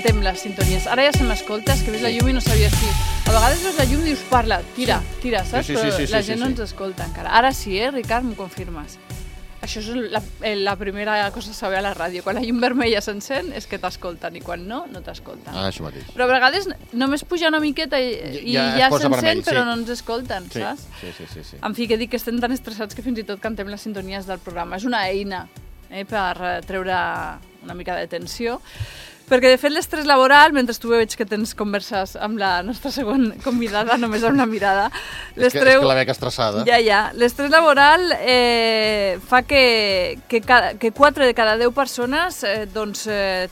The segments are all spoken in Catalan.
cantem les sintonies. Ara ja se m'escolta, és que ves la llum i no sabia si... A vegades veus la llum i dius, parla, tira, saps? Però la gent no ens escolta encara. Ara sí, Ricard, m'ho confirmes. Això és la primera cosa a saber a la ràdio. Quan la llum vermella s'encén és que t'escolten i quan no, no t'escolten. Ah, això mateix. Però a vegades només puja una miqueta i ja s'encén, però no ens escolten, saps? Sí. En fi, que dic que estem tan estressats que fins i tot cantem les sintonies del programa. És una eina per treure una mica de tensió. Perquè, de fet, l'estrès laboral, mentre tu veig que tens converses amb la nostra següent convidada, només amb una mirada... És que la veig estressada. Ja. L'estrès laboral fa que 4 de cada 10 persones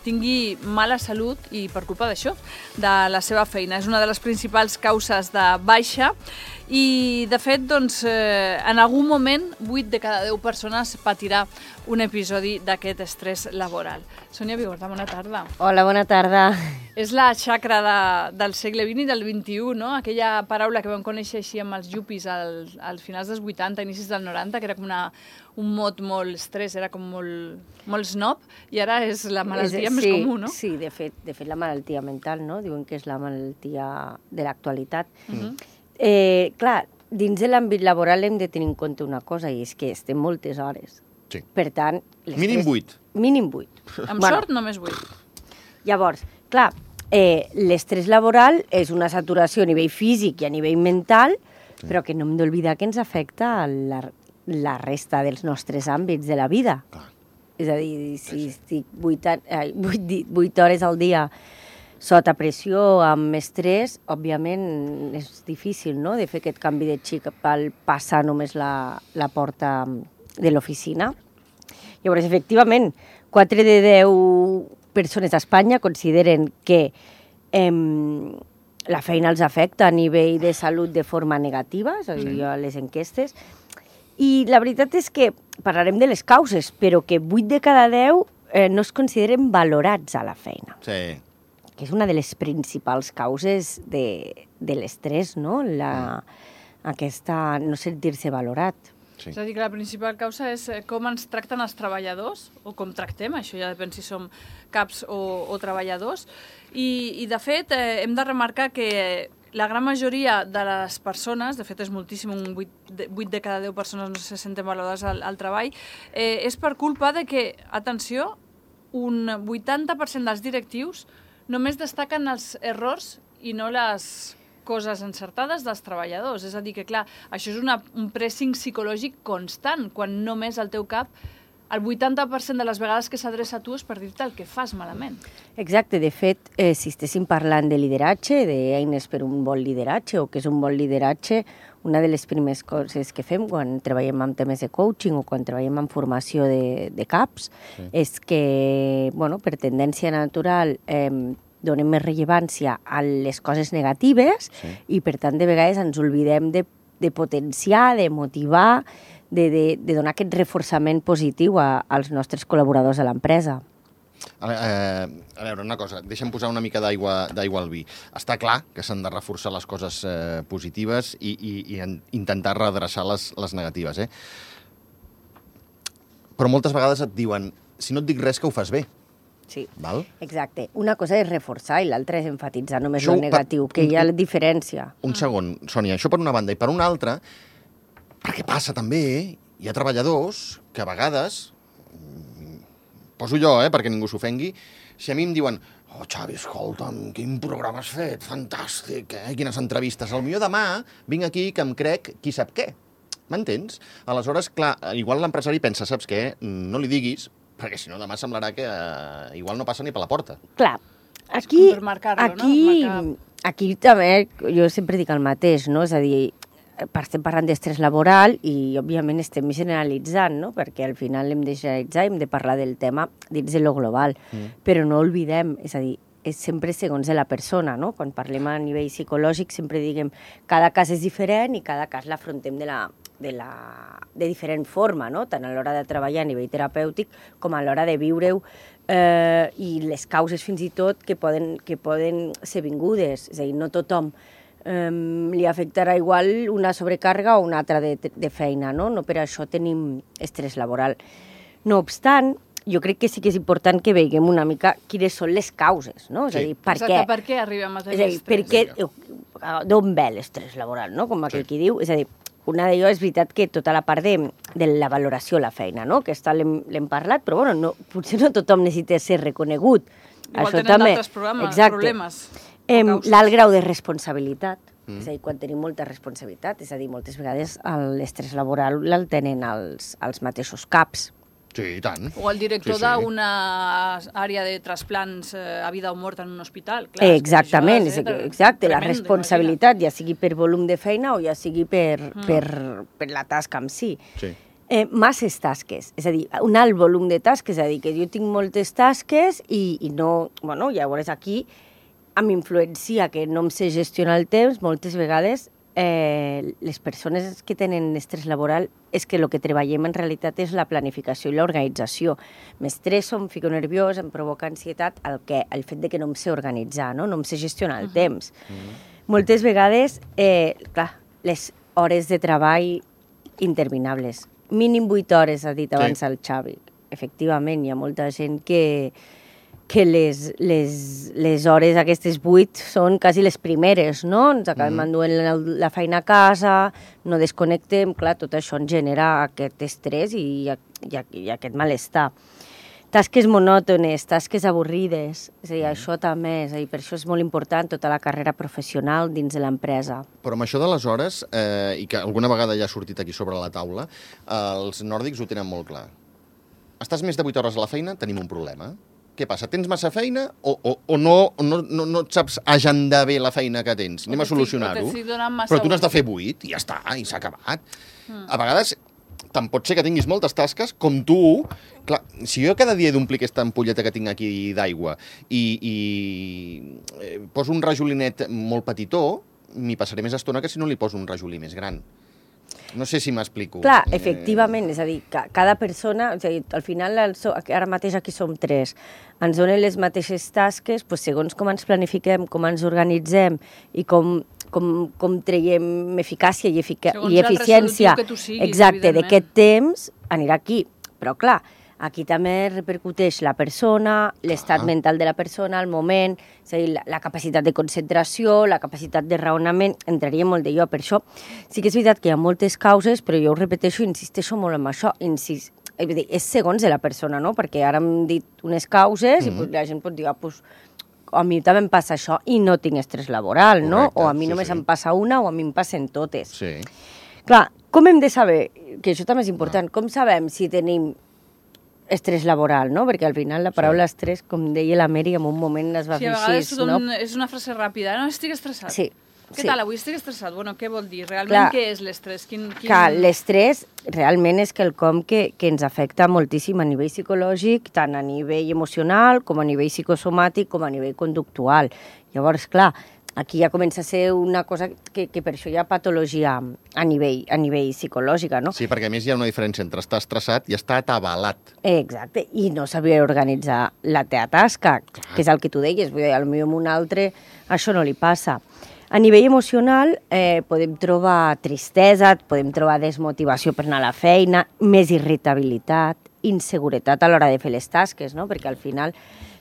tingui mala salut i per culpa d'això, de la seva feina. És una de les principals causes de baixa i, de fet, en algun moment 8 de cada 10 persones patirà un episodi d'aquest estrès laboral. Sònia Vigorta, bona tarda. Hola, bona tarda. És la xacra del segle XX i del XXI, no? Aquella paraula que vam conèixer així amb els yuppies als finals dels 80, inicis del 90, que era com un mot molt estrès, era com molt snob, i ara és la malaltia més comú, no? Sí, de fet la malaltia mental, no? Diuen que és la malaltia de l'actualitat. Clar, dins de l'àmbit laboral hem de tenir en compte una cosa, i és que estem moltes hores. Sí. Per tant... Mínim 8. Mínim 8. Amb sort, només 8. Llavors, clar, l'estrès laboral és una saturació a nivell físic i a nivell mental, però que no hem d'oblidar que ens afecta la resta dels nostres àmbits de la vida. Clar. És a dir, si estic 8 hores al dia sota pressió, amb estrès, òbviament és difícil, no?, de fer aquest canvi de xip al passar només la porta de l'oficina. Llavors, efectivament, 4 de 10 persones a Espanya consideren que la feina els afecta a nivell de salut de forma negativa, és a dir, a les enquestes, i la veritat és que parlarem de les causes, però que 8 de cada 10 no es consideren valorats a la feina. Sí. Que és una de les principals causes de l'estrès, no? Aquesta no sentir-se valorat. Sí. És a dir, que la principal causa és com ens tracten els treballadors, o com tractem, això ja depèn si som caps o treballadors. I de fet, hem de remarcar que la gran majoria de les persones, de fet és moltíssim, 8 de cada 10 persones no se senten valorades al treball, és per culpa de que, atenció, un 80% dels directius només destaquen els errors i no les coses encertades dels treballadors. És a dir que, clar, això és un pressing psicològic constant, quan només al teu cap el 80% de les vegades que s'adreça a tu és per dir-te el que fas malament. Exacte. De fet, si estéssim parlant de lideratge, d'eines per un bon lideratge, o què és un bon lideratge, una de les primeres coses que fem quan treballem amb temes de coaching o quan treballem en formació de caps és que, per tendència natural, donem més rellevància a les coses negatives i, per tant, de vegades ens oblidem de potenciar, de motivar, de donar aquest reforçament positiu als nostres col·laboradors a l'empresa. A veure, una cosa, deixa'm posar una mica d'aigua al vi. Està clar que s'han de reforçar les coses positives i intentar redreçar les negatives, Però moltes vegades et diuen, si no et dic res, que ho fas bé. Sí, val? Exacte. Una cosa és reforçar i l'altra és enfatitzar només el negatiu, que hi ha la diferència. Un segon, Sònia, això per una banda. I per una altra, perquè passa també, hi ha treballadors que a vegades, poso jo, perquè ningú s'ofengui, si a mi em diuen Xavi, escolta'm, quin programa has fet, fantàstic, quines entrevistes. Potser demà vinc aquí que em crec qui sap què. M'entens? Aleshores, clar, igual l'empresari pensa, saps què? No li diguis, perquè si no demà semblarà que igual no passa ni per la porta. Clar, aquí també jo sempre dic el mateix, no? És a dir, estem parlant d'estrès laboral i, òbviament, estem generalitzant, no? Perquè al final hem de generalitzar i hem de parlar del tema dins de lo global. Però no oblidem, és a dir, és sempre segons de la persona, no? Quan parlem a nivell psicològic sempre diguem cada cas és diferent i cada cas l'afrontem de diferent forma, no? Tant a l'hora de treballar a nivell terapèutic com a l'hora de viure-ho i les causes fins i tot que poden ser vingudes. És a dir, no tothom li afectarà igual una sobrecàrrega o una altra de feina, no? No per això tenim estrès laboral. No obstant, jo crec que sí que és important que veiem una mica quines són les causes, no? És a dir, per què? Per què arribem a tenir És a dir, estrès? d'on ve l'estrès laboral, no? Com aquell qui diu. És a dir, una d'allò és veritat que tota la part de la valoració a la feina, no? Aquesta l'hem parlat, però bueno, potser no tothom necessita ser reconegut. Igual Això tenen també. d'altres problemes. L'alt grau de responsabilitat, és a dir, quan tenim molta responsabilitat, és a dir, moltes vegades l'estrès laboral el tenen els mateixos caps. Sí, i tant. O el director d'una àrea de trasplants a vida o mort en un hospital. Clar, exactament, exacte, la responsabilitat, ja sigui per volum de feina o ja sigui per la tasca en si. Sí. Masses tasques, és a dir, un alt volum de tasques, és a dir, que jo tinc moltes tasques i no, bueno, llavors aquí em influencia que no em sé gestionar el temps, moltes vegades les persones que tenen estrès laboral és que el que treballem en realitat és la planificació i l'organització. M'estresso, em fico nerviós, em provoca ansietat el fet de que no em sé organitzar, no em sé gestionar el temps. Moltes vegades, clar, les hores de treball interminables. Mínim 8 hores, ha dit abans el Xavi. Efectivament, hi ha molta gent que les hores aquestes 8 són quasi les primeres, no? Ens acabem enduent la feina a casa, no desconnectem, clar, tot això ens genera aquest estrès i aquest malestar. Tasques monòtones, tasques avorrides, és a dir, això també, és a dir, per això és molt important tota la carrera professional dins de l'empresa. Però amb això de les hores, i que alguna vegada ja ha sortit aquí sobre la taula, els nòrdics ho tenen molt clar. Estàs més de 8 hores a la feina, tenim un problema. Què passa? Tens massa feina o no et saps agendar bé la feina que tens? Anem a solucionar-ho. Però tu n'has de fer 8 i ja està, i s'ha acabat. A vegades tant pot ser que tinguis moltes tasques com tu. Clar, si jo cada dia he d'omplir aquesta ampolleta que tinc aquí d'aigua i poso un rajolinet molt petitó, m'hi passaré més estona que si no li poso un rajolí més gran. No sé si m'explico. Clar, efectivament, és a dir, cada persona, és a dir, al final, ara mateix aquí som 3, ens donen les mateixes tasques, doncs segons com ens planifiquem, com ens organitzem i com traiem eficàcia i eficiència d'aquest temps, anirà aquí. Però clar, aquí també repercuteix la persona, l'estat mental de la persona, el moment, és a dir, la capacitat de concentració, la capacitat de raonament, entraria molt d'allò. Per això sí que és veritat que hi ha moltes causes, però jo ho repeteixo i insisteixo molt en això. És segons de la persona, no? Perquè ara hem dit unes causes i la gent pot dir, a mi també em passa això i no tinc estrès laboral, no? O a mi només em passa una o a mi em passen totes. Sí. Clar, com hem de saber, que això també és important, com sabem si tenim estrès laboral, no? Perquè al final la paraula estrès, com deia la Mary, en un moment es va fer així, no? És una frase ràpida, no? Estic estressat. Sí. Què tal, avui estic estressat? Bueno, què vol dir? Realment, què és l'estrès? Clar, l'estrès realment és quelcom que ens afecta moltíssim a nivell psicològic, tant a nivell emocional, com a nivell psicosomàtic, com a nivell conductual. Llavors, clar, aquí ja comença a ser una cosa que per això hi ha patologia a nivell psicològica, no? Sí, perquè a més hi ha una diferència entre estar estressat i estar atabalat. Exacte, i no saber organitzar la teva tasca, que és el que tu deies, vull dir, potser amb un altre això no li passa. A nivell emocional podem trobar tristesa, podem trobar desmotivació per anar a la feina, més irritabilitat, inseguretat a l'hora de fer les tasques, no? Perquè al final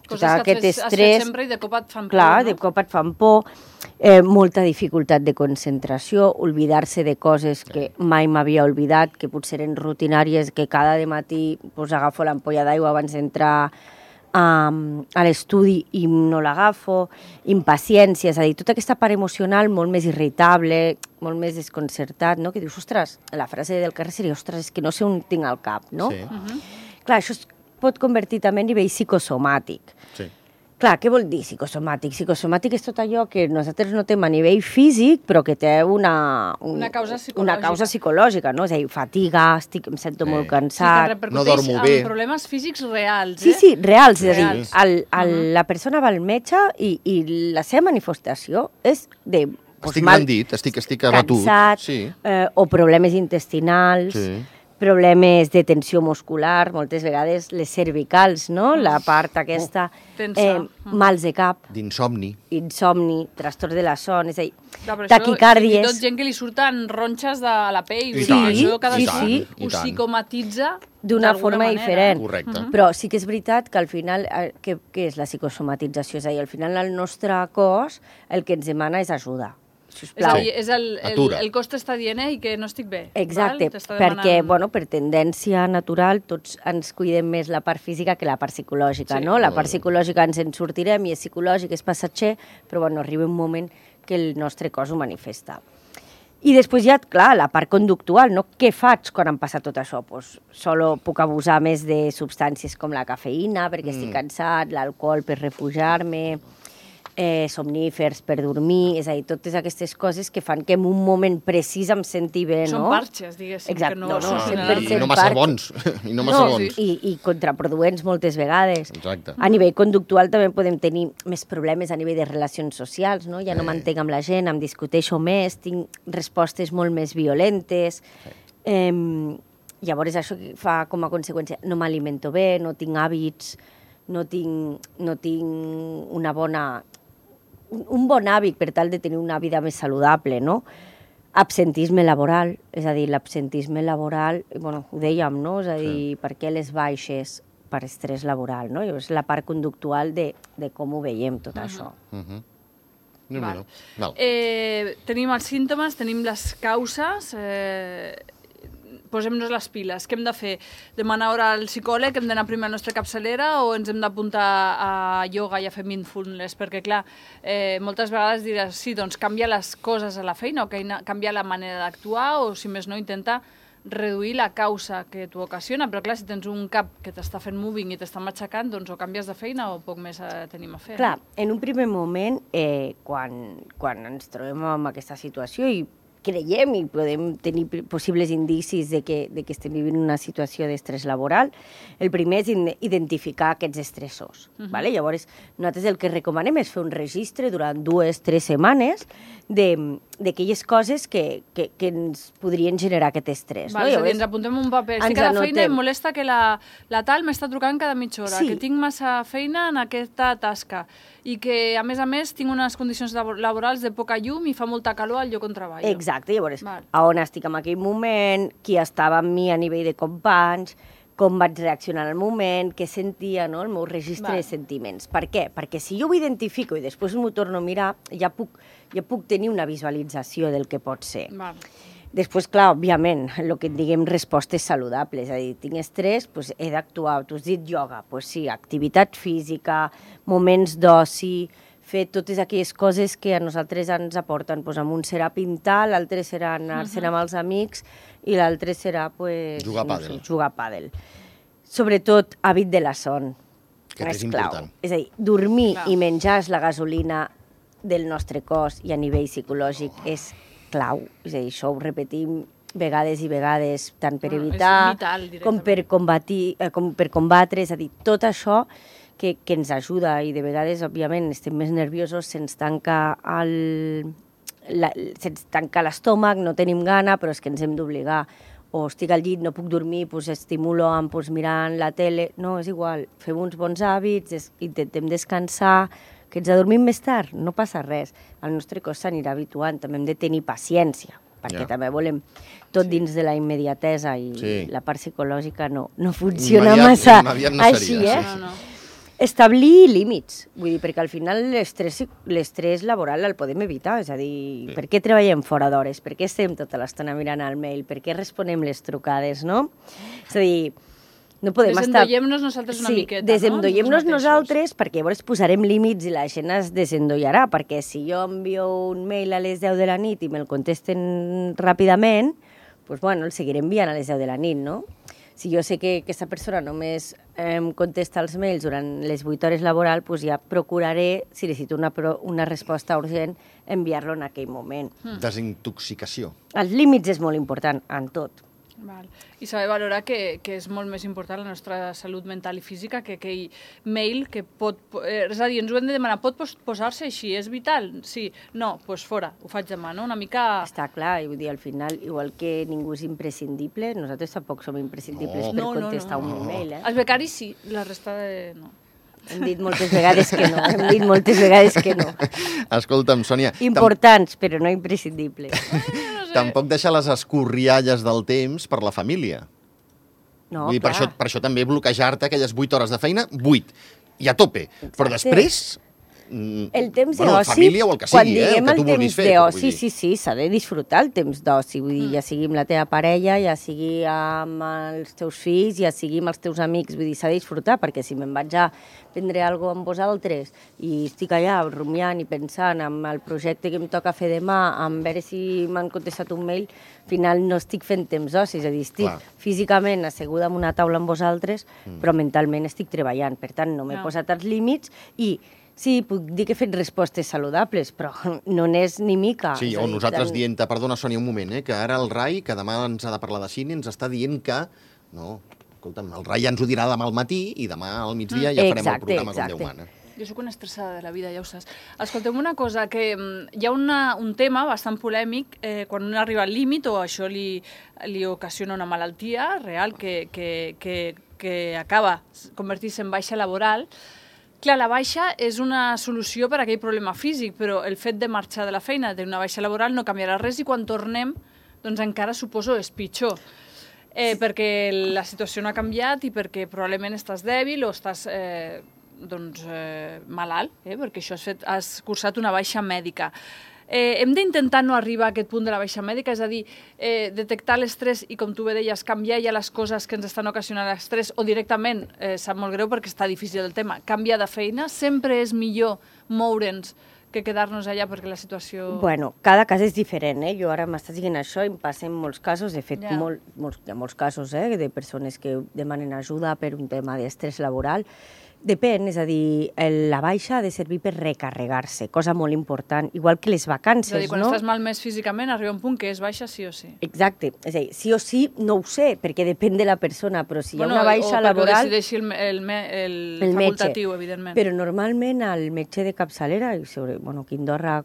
coses que has fet sempre i de cop et fan por. Clar, de cop et fan por, molta dificultat de concentració, oblidar-se de coses que mai m'havia oblidat, que potser eren rutinàries, que cada matí agafo l'ampolla d'aigua abans d'entrar a l'estudi i no l'agafo, impaciència, és a dir, tota aquesta part emocional molt més irritable, molt més desconcertat, no? Que dius, ostres, la frase del carrer seria, ostres, és que no sé on tinc al cap, no? Sí. Clar, això es pot convertir també en nivell psicosomàtic. Sí. Clar, què vol dir psicosomàtic? Psicosomàtic és tot allò que nosaltres notem a nivell físic, però que té una causa psicològica, no? És a dir, fatiga, em sento molt cansat... No dormo bé. En problemes físics reals, Sí, reals. És a dir, la persona va al metge i la seva manifestació és de... Estic rendit, estic abatut. Cansat, o problemes intestinals... Sí. problemes de tensió muscular, moltes vegades les cervicals, no? La part aquesta, Tensa. mals de cap, D'insomni. insomni, trastorn de la son, és a dir, Clar, però taquicàrdies. Això, fins i tot gent que li surten ronxes de la pell. I Vull dir, tant, això cada i sí, tant, ho i tant. psicomatitza d'una d'alguna forma manera. diferent. Correcte. Però sí que és veritat que al final, què és la psicosomatització? És a dir, al final el nostre cos el que ens demana és ajuda. És a Sisplau. dir, és Atura. el cos t'està dient que no estic bé. Exacte, val? T'està perquè, demanant- bueno, per tendència natural tots ens cuidem més la part física que la part psicològica, Sí. no? La part psicològica ens en sortirem i és psicològic, és passatger, però bueno, arriba un moment que el nostre cos ho manifesta. I després ja, clar, la part conductual, no? Què faig quan em passa tot això? Pues, solo puc abusar més de substàncies com la cafeïna perquè estic cansat, l'alcohol per refugiar-me, somnífers per dormir, és a dir, totes aquestes coses que fan que en un moment precís em senti bé, no? Són parxes, diguéssim, Exacte, que no, no, no, solucionaran. 100% I no massa part. bons. I no massa bons. I contraproduents moltes vegades. Exacte. A nivell conductual també podem tenir més problemes a nivell de relacions socials, no? Ja no m'entenc amb la gent, em discuteixo més, tinc respostes molt més violentes. Llavors això fa com a conseqüència, no m'alimento bé, no tinc hàbits, no tinc una bona... un bon hàbit per tal de tenir una vida més saludable, no? Absentisme laboral, és a dir, l'absentisme laboral, bueno, ho dèiem, no? És a dir, per què les baixes? Per estrès laboral, no? És la part conductual de com ho veiem, tot això. Val. Val. Tenim els símptomes, tenim les causes, posem-nos les piles. Què hem de fer? Demanar hora al psicòleg, hem d'anar primer a la nostra capçalera o ens hem d'apuntar a ioga i a fer mindfulness? Perquè, clar, moltes vegades diràs, sí, doncs canvia les coses a la feina o canvia la manera d'actuar o, si més no, intenta reduir la causa que t'ho ocasiona, però clar, si tens un cap que t'està fent moving i t'està matxacant, doncs o canvies de feina o poc més tenim a fer. Clar, en un primer moment, quan ens trobem en aquesta situació i creiem i podem tenir possibles indicis de que estem vivint una situació d'estrès laboral, el primer és identificar aquests estressors. Vale? Llavors, nosaltres el que recomanem és fer un registre durant 2-3 setmanes d'aquelles coses que ens podrien generar aquest estrès. Val, no? és a dir, Llavors, ens apuntem un paper. ens Estic a la feina i anotem. em molesta que la tal m'està trucant cada mitja hora, Sí. que tinc massa feina en aquesta tasca i que, a més, tinc unes condicions laborals de poca llum i fa molta calor al lloc on treballo. Exacte, llavors, Val. a on estic en aquell moment, qui estava amb mi a nivell de companys, com vaig reaccionar al moment, què sentia, no? El meu registre Val. de sentiments. Per què? Perquè si jo ho identifico i després m'ho torno a mirar, ja puc tenir una visualització del que pot ser. Val. Després, clar, òbviament, el que en diguem respostes saludables, és a dir, tinc estrès, doncs he d'actuar. Tu has dit ioga, doncs sí, activitat física, moments d'oci, fer totes aquelles coses que a nosaltres ens aporten. Doncs amb un serà pintar, l'altre serà anar-se'n amb els amics i l'altre serà Jugar a pàdel. jugar a pàdel. Sobretot, hàbit de la son. Que és clau. important. És a dir, dormir Clar. i menjar és la gasolina del nostre cos i a nivell psicològic és clau. És a dir, això ho repetim vegades i vegades, tant per Bueno, és evitar vital, com per combatre, és a dir, tot això que ens ajuda i de vegades, òbviament, estem més nerviosos, se'ns tanca l'estómac, no tenim gana, però és que ens hem d'obligar. O estic al llit, no puc dormir, doncs estimulo amb mirant la tele. No, és igual, fem uns bons hàbits, intentem descansar, que ens adormim més tard, no passa res. El nostre cos s'anirà habituant, també hem de tenir paciència, perquè també volem tot dins de la immediatesa i la part psicològica no funciona massa així, No. Establir límits, vull dir, perquè al final l'estrès laboral el podem evitar, és a dir, per què treballem fora d'hores, per què estem tota l'estona mirant el mail, per què responem les trucades, no? És a dir, no podem estar... Desendollem-nos nosaltres una miqueta, no? Desendollem-nos Nosaltres nosaltres perquè llavors posarem límits i la gent es desendollarà, perquè si jo envio un mail a les 10 de la nit i me'l contesten ràpidament, doncs bueno, el seguiré enviant a les 10 de la nit, no? Si jo sé que aquesta persona només em contesta els mails durant les 8 hores laborals, doncs ja procuraré, si necessito una resposta urgent, enviar-lo en aquell moment. Desintoxicació. Els límits és molt important en tot. Val. I saber valorar que és molt més important la nostra salut mental i física que aquell mail que pot... és a dir, ens ho hem de demanar, pot posar-se així? És vital? Sí. No, doncs fora, ho faig demà, no? Una mica... Està clar, i vull dir, al final, igual que ningú és imprescindible, nosaltres tampoc som imprescindibles per contestar un email, Els becaris sí, la resta no. Hem dit moltes vegades que no, Escolta'm, Sònia... Importants, però no imprescindibles. Tampoc deixar les escorrialles del temps per la família. No, Vull dir, clar. per això també bloquejar-te aquelles 8 hores de feina, 8, i a tope. Exacte. Però després... El temps bueno, d'oci, família o el que quan sigui, diguem el que tu el vulguis temps fer. d'oci, sí, s'ha de disfrutar el temps d'oci, vull dir, ja sigui amb la teva parella, ja sigui amb els teus fills, ja sigui amb els teus amics, vull dir, s'ha de disfrutar, perquè si me'n vaig a prendre alguna cosa amb vosaltres i estic allà rumiant i pensant en el projecte que em toca fer demà, en veure si m'han contestat un mail, al final no estic fent temps d'oci, és a dir, estic físicament asseguda en una taula amb vosaltres, però mentalment estic treballant, per tant, no m'he posat els límits i sí, puc dir que he fet respostes saludables, però no n'és ni mica. Sí, o nosaltres dient-te, perdona, Sònia, un moment, que ara el Rai, que demà ens ha de parlar de cine, ens està dient que... No, escolta'm, el Rai ja ens ho dirà demà al matí i demà al migdia ja farem el programa com Déu mana. Jo sóc una estressada de la vida, ja ho saps. Escolteu una cosa, que hi ha un tema bastant polèmic quan un arriba al límit o això li ocasiona una malaltia real que acaba convertint-se en baixa laboral. Clar, la baixa és una solució per a aquell problema físic, però el fet de marxar de la feina, d'una baixa laboral, no canviarà res i quan tornem, doncs encara suposo és pitjor. Perquè la situació no ha canviat i perquè probablement estàs dèbil o estàs malalt, perquè això has cursat una baixa mèdica. Hem d'intentar no arribar a aquest punt de la baixa mèdica, és a dir, detectar l'estrès i, com tu bé deies, canviar ja les coses que ens estan ocasionant l'estrès o directament, sap molt greu perquè està difícil el tema, canviar de feina, sempre és millor moure'ns que quedar-nos allà perquè la situació... Bueno, cada cas és diferent, Jo ara m'estàs dient això i em passen molts casos, de fet, hi ha molts casos, de persones que demanen ajuda per un tema d'estrès laboral. Depèn, és a dir, la baixa ha de servir per recarregar-se, cosa molt important, igual que les vacances, no? És a dir, quan estàs malmès físicament, arriba un punt que és baixa sí o sí. Exacte, és a dir, sí o sí no ho sé, perquè depèn de la persona, però si hi ha una baixa laboral... O perquè ho decideixi el facultatiu, evidentment. Però normalment el metge de capçalera, aquí a Andorra,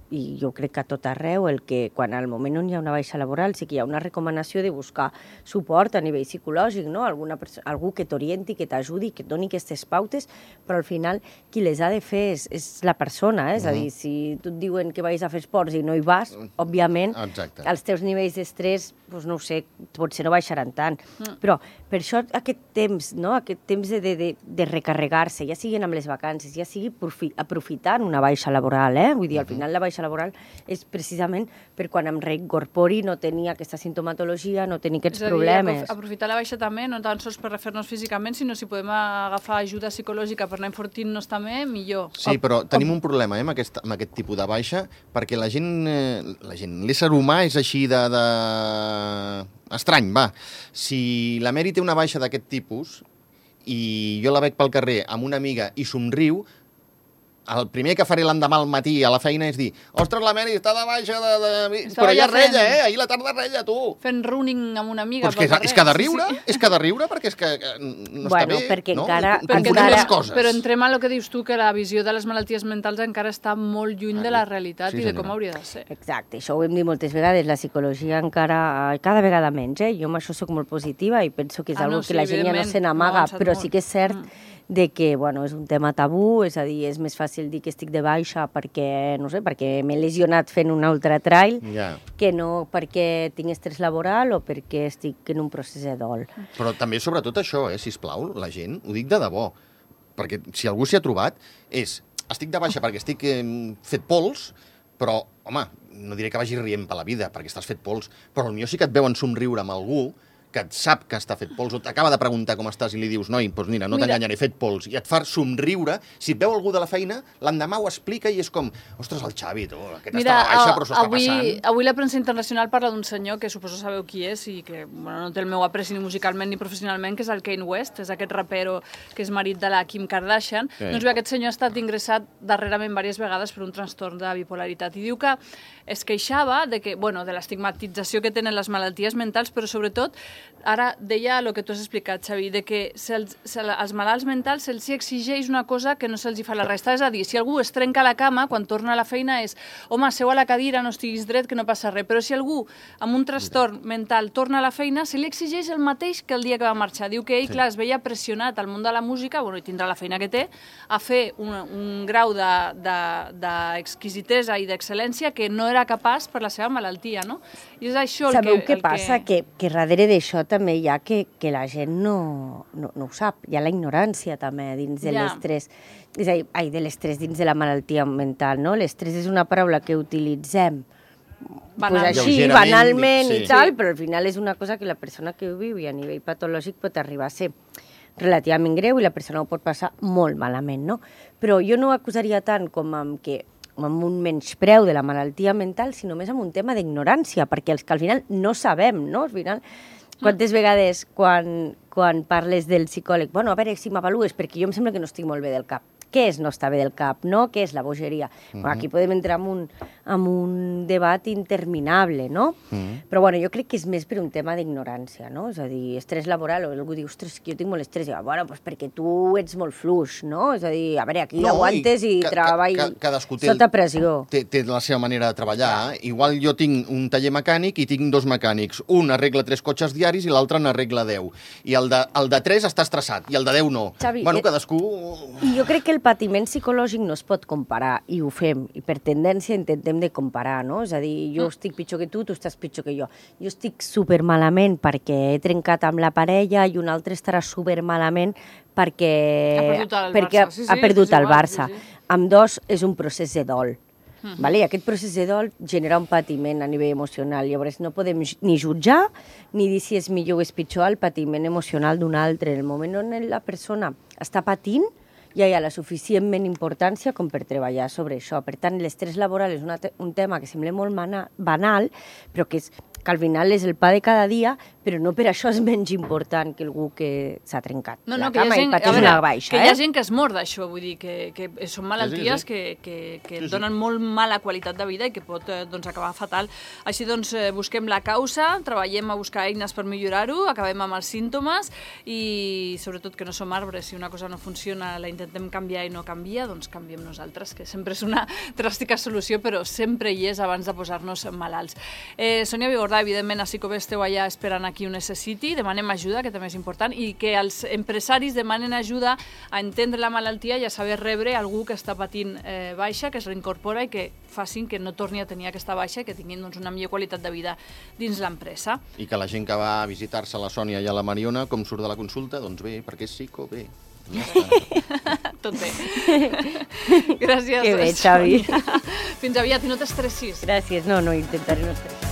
i jo crec que a tot arreu, quan al moment on hi ha una baixa laboral sí que hi ha una recomanació de buscar suport a nivell psicològic, no? Algú que t'orienti, que t'ajudi, que et doni aquestes pautes, però al final qui les ha de fer és la persona, és a dir, si tu et diuen que vagis a fer esports i no hi vas, òbviament, els teus nivells d'estrès, no ho sé, potser no baixaran tant, però per això aquest temps de recarregar-se, ja siguin amb les vacances, ja sigui aprofitant una baixa laboral, vull dir, al final la baixa laboral és precisament per quan em reincorpori no tenir aquesta sintomatologia, no tenir aquests problemes. És a dir, aprofitar la baixa també, no tan sols per refer-nos físicament, sinó si podem agafar ajuda psicològica per anar enfortint-nos també, millor. Sí, però tenim un problema amb aquest tipus de baixa, perquè la gent, l'ésser humà és així estrany, va. Si la Mary té una baixa d'aquest tipus i jo la veig pel carrer amb una amiga i somriu, el primer que faré l'endemà al matí a la feina és dir ostres, la Mary està de baixa però ja rella, ahir la tarda rella, tu. Fent running amb una amiga pel carrer. És que ha de riure, perquè és que no està bé. Perquè no? encara... les coses. Però entrem a el que dius tu, que la visió de les malalties mentals encara està molt lluny de la realitat i de com hauria de ser. Exacte, això ho hem dit moltes vegades, la psicologia encara, cada vegada menys, jo amb això soc molt positiva i penso que és una cosa que la gent ja no se n'amaga, però sí que és cert de que, és un tema tabú, és a dir, és més fàcil dir que estic de baixa perquè, no sé, perquè m'he lesionat fent un ultratrail, que no perquè tinc estrès laboral o perquè estic en un procés de dol. Però també, sobretot això, sisplau, la gent, ho dic de debò, perquè si algú s'hi ha trobat, estic de baixa perquè estic fet pols, però, home, no diré que vagi rient per la vida, perquè estàs fet pols, però potser sí que et veuen somriure amb algú que et sap que està fet pols, o t'acaba de preguntar com estàs i li dius, noi, doncs mira, no t'enganyaré, he fet pols, i et fa somriure, si et veu algú de la feina, l'endemà ho explica i és com, ostres, el Xavi, tu, aquest està a la baixa, però s'ho està passant. Avui la premsa internacional parla d'un senyor que suposo sabeu qui és i que no té el meu apreci ni musicalment ni professionalment, que és el Kanye West, és aquest rapero que és marit de la Kim Kardashian. Doncs bé, aquest senyor ha estat ingressat darrerament diverses vegades per un trastorn de bipolaritat i diu que es queixava de l'estigmatització que tenen les malalties mentals, però sobretot, ara deia el que tu has explicat, Xavi, de que als malalts mentals se'ls exigeix una cosa que no se'ls fa la resta. És a dir, si algú es trenca a la cama, quan torna a la feina és home, seu a la cadira, no estiguis dret, que no passa res. Però si algú amb un trastorn mental torna a la feina, se li exigeix el mateix que el dia que va marxar. Diu que ell, clar, es veia pressionat al món de la música, i tindrà la feina que té, a fer un grau d'exquisitesa i d'excel·lència que no era capaç per la seva malaltia, no? I és això Sabeu què passa? Que darrere d'això també hi ha que la gent no ho sap. Hi ha la ignorància també dins de l'estrès. És a dir, de l'estrès dins de la malaltia mental, no? L'estrès és una paraula que utilitzem així, banalment i tal, però al final és una cosa que la persona que ho viu i a nivell patològic pot arribar a ser relativament greu i la persona ho pot passar molt malament, no? Però jo no ho acusaria tant com amb un menyspreu de la malaltia mental, sinó més amb un tema d'ignorància, perquè els que al final no sabem, no? Al final, quantes vegades quan parles del psicòleg, bueno, a veure si m'avalues, perquè jo em sembla que no estic molt bé del cap. Què és no estar bé del cap, no? Què és la bogeria? Aquí podem entrar en un debat interminable, no? Però bueno, jo crec que és més per un tema d'ignorància, no? És a dir, estrès laboral, o algú diu, ostres, que jo tinc molt estrès, i diu, bueno, doncs perquè tu ets molt fluix, no? És a dir, a veure, aquí aguantes i treballes sota pressió. Té la seva manera de treballar. Igual jo tinc un taller mecànic i tinc dos mecànics. Un arregla 3 cotxes diaris i l'altre n'arregla 10. I el de 3 està estressat i el de 10 no. Xavi, bueno, cadascú... I jo crec que el patiment psicològic no es pot comparar, i ho fem, i per tendència intentem de comparar, no? És a dir, jo estic pitjor que tu estàs pitjor que jo. Jo estic supermalament perquè he trencat amb la parella i un altre estarà supermalament perquè ha perdut el Barça. Ambdós és un procés de dol. I aquest procés de dol genera un patiment a nivell emocional. Llavors no podem ni jutjar ni dir si és millor o és pitjor el patiment emocional d'un altre. En el moment on la persona està patint, ja hi ha la suficientment importància com per treballar sobre això. Per tant, l'estrès laboral és un tema que sembla molt banal, però que al final és el pa de cada dia, però no per això és menys important que algú que s'ha trencat la cama i pateix una baixa. Que hi ha gent que es mor d'això, vull dir, que són malalties que donen molt mala qualitat de vida i que pot acabar fatal. Així doncs, busquem la causa, treballem a buscar eines per millorar-ho, acabem amb els símptomes i sobretot que no som arbres, si una cosa no funciona la intentem canviar i no canvia, doncs canviem nosaltres, que sempre és una dràstica solució, però sempre hi és abans de posar-nos malalts. Sònia Vigordà, evidentment, a Psicobé esteu allà esperant a qui ho necessiti, demanem ajuda, que també és important, i que els empresaris demanen ajuda a entendre la malaltia i a saber rebre algú que està patint baixa, que es reincorpora i que facin que no torni a tenir aquesta baixa i que tinguin una millor qualitat de vida dins l'empresa. I que la gent que va a visitar-se a la Sònia i a la Mariona, com surt de la consulta? Doncs bé, perquè és Psicobé. Tot bé. Gràcies, que bé, Xavi. Fins aviat i no t'estressis. Gràcies, no, intentaré no estressar.